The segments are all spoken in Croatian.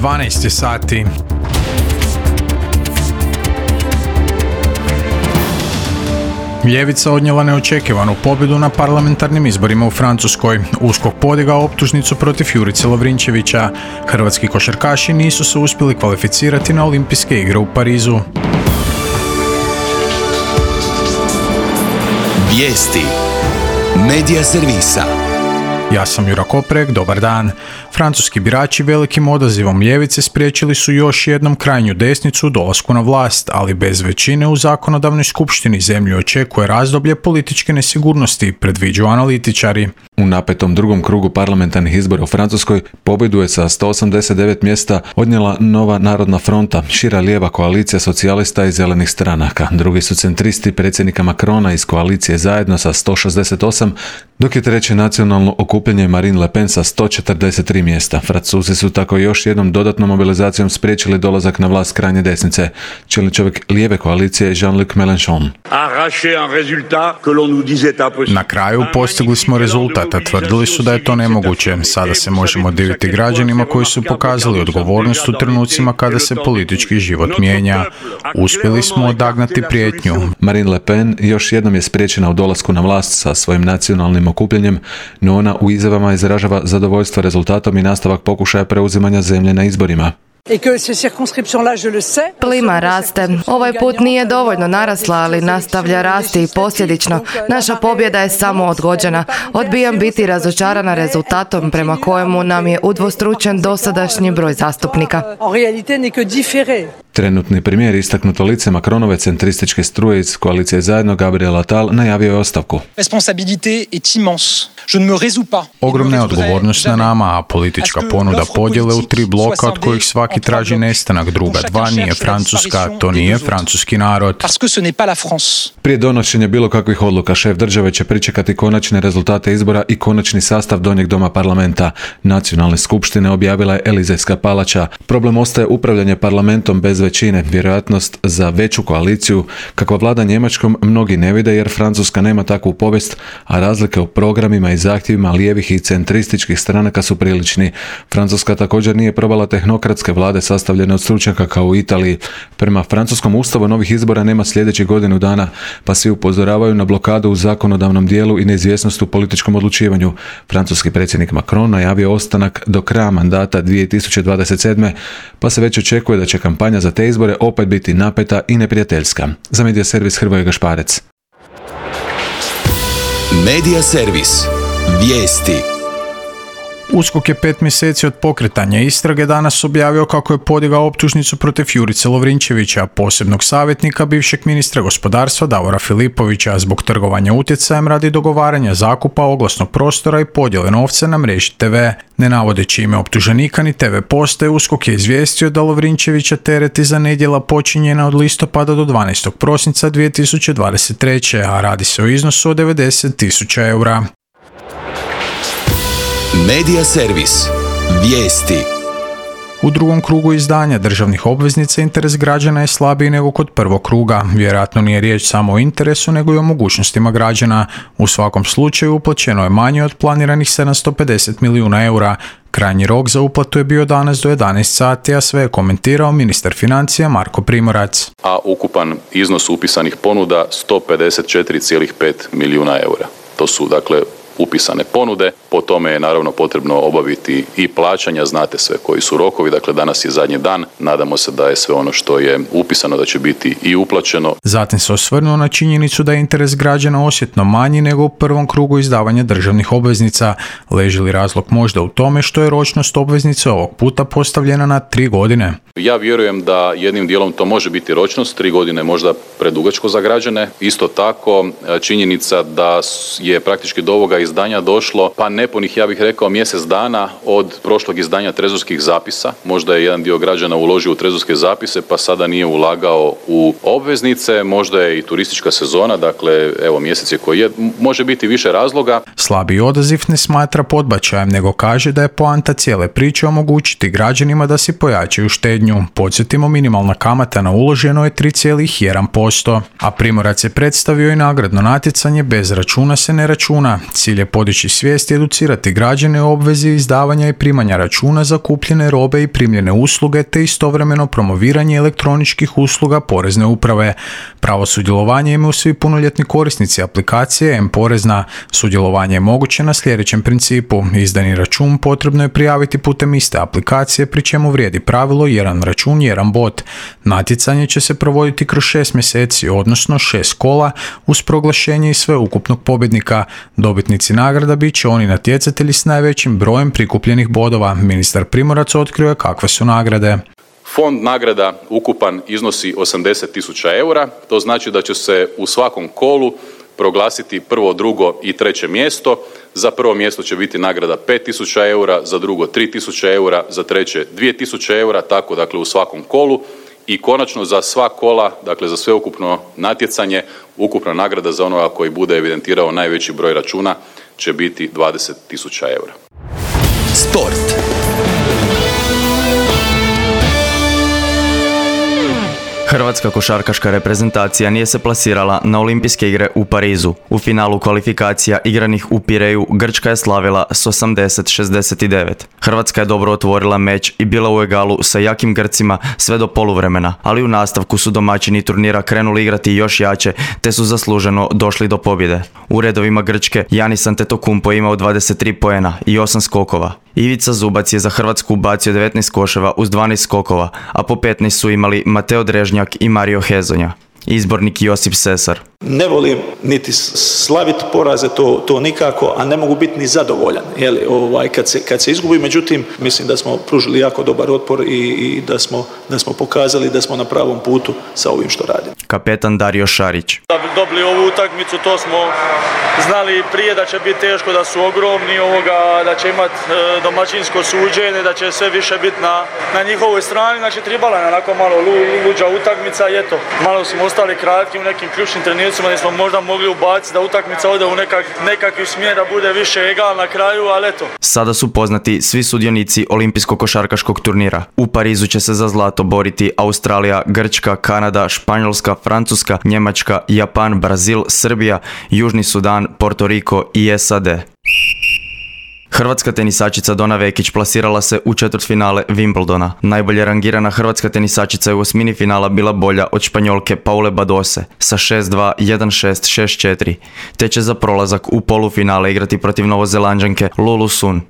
12 sati. Ljevica odnijela neočekivanu pobjedu na parlamentarnim izborima u Francuskoj. USKOK podigao optužnicu protiv Jurice Lovrinčevića. Hrvatski košarkaši nisu se uspjeli kvalificirati na Olimpijske igre u Parizu. Vijesti Medija servisa. Ja sam Jura Koprek, dobar dan. Francuski birači velikim odazivom ljevice spriječili su još jednom krajnju desnicu u dolasku na vlast, ali bez većine u zakonodavnoj skupštini zemlju očekuje razdoblje političke nesigurnosti, predviđaju analitičari. U napetom drugom krugu parlamentarnih izbora u Francuskoj pobjedu je sa 189 mjesta odnijela Nova narodna fronta, šira lijeva koalicija socijalista i zelenih stranaka. Drugi su centristi predsjednika Macrona iz koalicije Zajedno sa 168, dok je treće nacionalno okupljanje Marine Le Pen sa 143 mjesta. Francuzi su tako još jednom dodatnom mobilizacijom spriječili dolazak na vlast krajnje desnice. Čelni čovjek lijeve koalicije Jean-Luc Mélenchon. Na kraju postigli smo rezultat, a tvrdili su da je to nemoguće. Sada se možemo diviti građanima koji su pokazali odgovornost u trenucima kada se politički život mijenja. Uspjeli smo odagnati prijetnju. Marine Le Pen još jednom je spriječena u dolasku na vlast sa svojim nacionalnim okupljanjem, no ona u izjavama izražava zadovoljstvo rezultatom i nastavak pokušaja preuzimanja zemlje na izborima. Plima raste. Ovaj put nije dovoljno narasla, ali nastavlja rasti i posljedično. Naša pobjeda je samo odgođena. Odbijam biti razočarana rezultatom prema kojemu nam je udvostručen dosadašnji broj zastupnika. Trenutni premijer, istaknuto lice Macronove centrističke struje iz koalicije Zajedno, Gabriel Attal, najavio je ostavku. Ogromna je odgovornost na nama, a politička ponuda podjele u 3 bloka od kojih svaki traži nestanak. Druga 2 nije Francuska, to nije francuski narod. Prije donošenja bilo kakvih odluka, šef države će pričekati konačne rezultate izbora i konačni sastav donjeg doma parlamenta. Nacionalne skupštine objavila je Elizejska palača. Problem ostaje upravljanje parlamentom bez većine. Vjerojatnost za veću koaliciju, kakva vlada Njemačkom, mnogi ne vide jer Francuska nema takvu povijest, a razlike u programima i zahtjevima lijevih i centrističkih stranaka su prilični. Francuska također nije probala tehnokratske vlade sastavljene od stručnjaka kao u Italiji. Prema francuskom ustavu novih izbora nema sljedećih godinu dana, pa svi upozoravaju na blokadu u zakonodavnom dijelu i neizvjesnost u političkom odlučivanju. Francuski predsjednik Macron najavio ostanak do kraja mandata 2027. pa se već očekuje da će kampanja za te izbore opet biti napeta i neprijateljska. Za Medija servis Hrvoje Gašparec. Medija servis. Vijesti. USKOK je 5 mjeseci od pokretanja istrage danas objavio kako je podigao optužnicu protiv Jurice Lovrinčevića, posebnog savjetnika bivšeg ministra gospodarstva Davora Filipovića, zbog trgovanja utjecajem radi dogovaranja zakupa oglasnog prostora i podjele novca na mreži TV. Ne navodeći ime optuženika ni TV postaje, USKOK je izvijestio da Lovrinčevića tereti za nedjela počinjena od listopada do 12. prosinca 2023. a radi se o iznosu od 90.000 eura. Medija servis. Vijesti. U drugom krugu izdanja državnih obveznica interes građana je slabiji nego kod prvog kruga. Vjerojatno nije riječ samo o interesu, nego i o mogućnostima građana. U svakom slučaju uplaćeno je manje od planiranih 750 milijuna eura. Krajnji rok za uplatu je bio danas do 11 sati, a sve je komentirao ministar financija Marko Primorac. A ukupan iznos upisanih ponuda 154,5 milijuna eura. To su dakle upisane ponude, po tome je naravno potrebno obaviti i plaćanja, znate sve koji su rokovi, dakle danas je zadnji dan, nadamo se da je sve ono što je upisano da će biti i uplaćeno. Zatim se osvrnuo na činjenicu da je interes građana osjetno manji nego u prvom krugu izdavanja državnih obveznica. Leži li razlog možda u tome što je ročnost obveznice ovog puta postavljena na 3 godine? Ja vjerujem da jednim dijelom to može biti ročnost, 3 godine možda predugačko za građane. Isto tako činjenica da je praktički do ovoga izdanja došlo pa nepunih, ja bih rekao, mjesec dana od prošlog izdanja trezorskih zapisa. Možda je jedan dio građana uložio u trezorske zapise pa sada nije ulagao u obveznice, možda je i turistička sezona, dakle evo mjesec je koji je, može biti više razloga. Slabi odaziv ne smatra podbačajem, nego kaže da je poanta cijele priče omogućiti građanima da si pojačaju štednju. štednju. Podsjetimo, minimalna kamata na uloženo je 3,1%, a Primorac je predstavio i nagradno natjecanje Bez računa se ne računa. Cilj je podići svijest i educirati građane o obvezi izdavanja i primanja računa za kupljene robe i primljene usluge, te istovremeno promoviranje elektroničkih usluga Porezne uprave. Pravo sudjelovanja imaju svi punoljetni korisnici aplikacije M-Porezna. Sudjelovanje je moguće na sljedećem principu. Izdani račun potrebno je prijaviti putem iste aplikacije, pri čemu vrijedi pravilo jedan račun, jedan bod. Natjecanje će se provoditi kroz 6 mjeseci, odnosno 6 kola, uz proglašenje i sveukupnog pobjednika. Dobitnici nagrada bit će oni natjecatelji s najvećim brojem prikupljenih bodova. Ministar Primorac otkrio je kakve su nagrade. Fond nagrada ukupan iznosi 80.000 eura, to znači da će se u svakom kolu proglasiti prvo, drugo i treće mjesto. Za prvo mjesto će biti nagrada 5.000 eura, za drugo 3.000 eura, za treće 2.000 eura, tako dakle u svakom kolu. I konačno za sva kola, dakle za sveukupno natjecanje, ukupna nagrada za onoga koji bude evidentirao najveći broj računa će biti 20.000 eura. Sport. Hrvatska košarkaška reprezentacija nije se plasirala na Olimpijske igre u Parizu. U finalu kvalifikacija igranih u Pireju Grčka je slavila s 80-69. Hrvatska je dobro otvorila meč i bila u egalu sa jakim Grcima sve do poluvremena, ali u nastavku su domaćini turnira krenuli igrati još jače, te su zasluženo došli do pobjede. U redovima Grčke Giannis Antetokounmpo imao 23 poena i 8 skokova. Ivica Zubac je za Hrvatsku ubacio 19 koševa uz 12 skokova, a po 15 su imali Mateo Drežnjak i Mario Hezonja. Izbornik Josip Sesar. Ne volim niti slaviti poraze, to nikako, a ne mogu biti ni zadovoljan. Kad se izgubi, međutim, mislim da smo pružili jako dobar otpor i da smo pokazali da smo na pravom putu sa ovim što radimo. Kapetan Dario Šarić. Da bi dobili ovu utakmicu, to smo znali prije da će biti teško, da su ogromni, da će imati domaćinsko suđenje, da će sve više biti na njihovoj strani. Znači, tribala je onako malo luđa utakmica i eto, malo smo ostali kratki u nekim ključnim trenucima gdje smo možda mogli ubaciti da utakmica ode u nekakvi smjer, da bude više egal na kraju, ali eto. Sada su poznati svi sudionici olimpijskog košarkaškog turnira. U Parizu će se za zlato boriti Australija, Grčka, Kanada, Španjolska, Francuska, Njemačka, Japan, Brazil, Srbija, Južni Sudan, Porto Riko i SAD. Hrvatska tenisačica Dona Vekić plasirala se u četvrtfinale Wimbledona. Najbolje rangirana hrvatska tenisačica je u osmini finala bila bolja od Španjolke Paule Badose sa 6-2, 1-6, 6-4, te će za prolazak u polufinale igrati protiv Novozelanđanke Lulu Sun.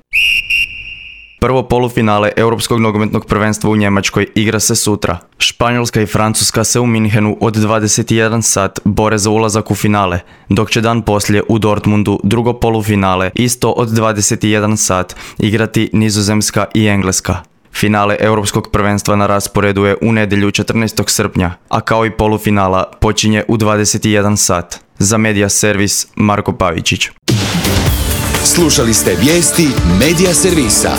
Prvo polufinale Europskog nogometnog prvenstva u Njemačkoj igra se sutra. Španjolska i Francuska se u Minhenu od 21 sat bore za ulazak u finale, dok će dan poslije u Dortmundu drugo polufinale isto od 21 sat igrati Nizozemska i Engleska. Finale Europskog prvenstva na rasporedu je u nedjelju 14. srpnja, a kao i polufinala počinje u 21 sat. Za Media Servis Marko Pavičić. Slušali ste vijesti Media Servisa.